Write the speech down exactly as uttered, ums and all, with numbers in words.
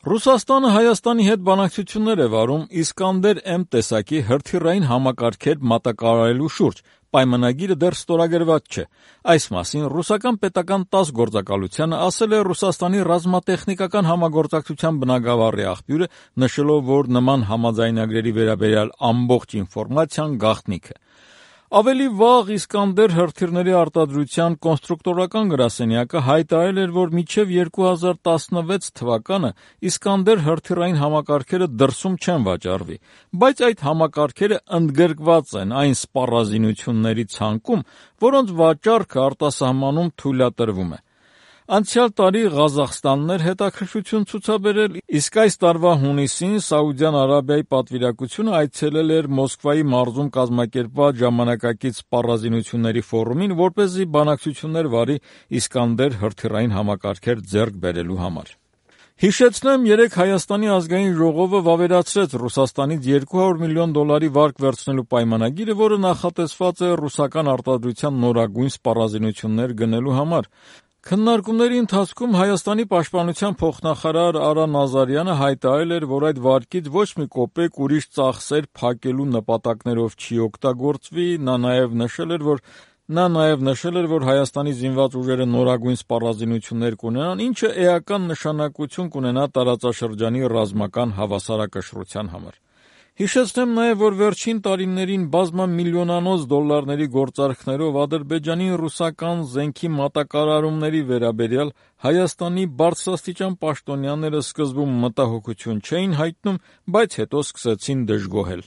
Ռուսաստանը Հայաստանի հետ բանակցություններ է վարում Իսկանդեր-M տեսակի հրթիռային համակարգեր մատակարարելու շուրջ, պայմանագիրը դեռ ստորագրված չէ։ Այս մասին ռուսական պետական տաս գործակալությանը ասել է Ռուսաստանի ռազմատեխնիկական համագործակցության բնագավառի աղբյուրը, նշելով, որ նման համաձայնագրերի վերաբերյալ ամբողջ ինֆորմացիան գաղտնիք է։ Ավելի վաղ Իսկանդեր հրթիռների արտադրության կոնստրուկտորական գրասենյակը հայտարարել էր, որ մինչև երկու հազար տասնվեց թվականը Իսկանդեր հրթիռային համակարգերը դրսում չեն վաճառվի, բայց այդ համակարգերը ընդգրկված են այն սպառազինությունների ցանկում, որոնց վաճառքը արտասահմանում թույլատրվում է։ Անցյալ տարի Ղազախստանն էր հետաքրքրություն ցուցաբերել, իսկ այս տարվա հունիսին Սաուդյան Արաբիայի պատվիրակությունը այցելել էր Մոսկվայի մարզում կազմակերպված ժամանակակից սպառազինությունների ֆորումին, որպեսզի բանակցություններ վարի Իսկանդեր հրթիռային համակարգեր ձեռք բերելու համար։ Հիշեցնեմ, երեկ Հայաստանի ազգային ժողովը վավերացրեց Ռուսաստանից երկու հարյուր միլիոն դոլարի վարկ վերցնելու պայմանագիրը, որը նախատեսված է ռուսական արտադրության նորագույն սպառազինություններ գնելու համար։ Քննարկումների ընթացքում Հայաստանի պաշտպանության փոխնախարար Արա Նազարյանը հայտարարել էր, որ այդ վարկից ոչ մի կոպեկ ուրիշ ծախսեր փակելու նպատակներով չի օգտագործվի, նա նաև նշել էր, որ Նա նաև նշել էր, որ Հայաստանի զինված ուժերը նորագույն սպառազինություններ կունենան, ինչը էական նշանակություն կունենա տարածաշրջանի ռազմական հավասարակշռության համար։ Հիշեցնեմ նաև, որ վերջին տարիներին բազմամիլիոնանոց դոլարների գործարքներով Ադրբեջանի ռուսական զենքի մատակարարումների վերաբերյալ Հայաստանի բարձրաստիճան պաշտոնյաները սկզբում մտահոգություն չէին հայտնում, բայց հետո սկսեցին դժգոհել։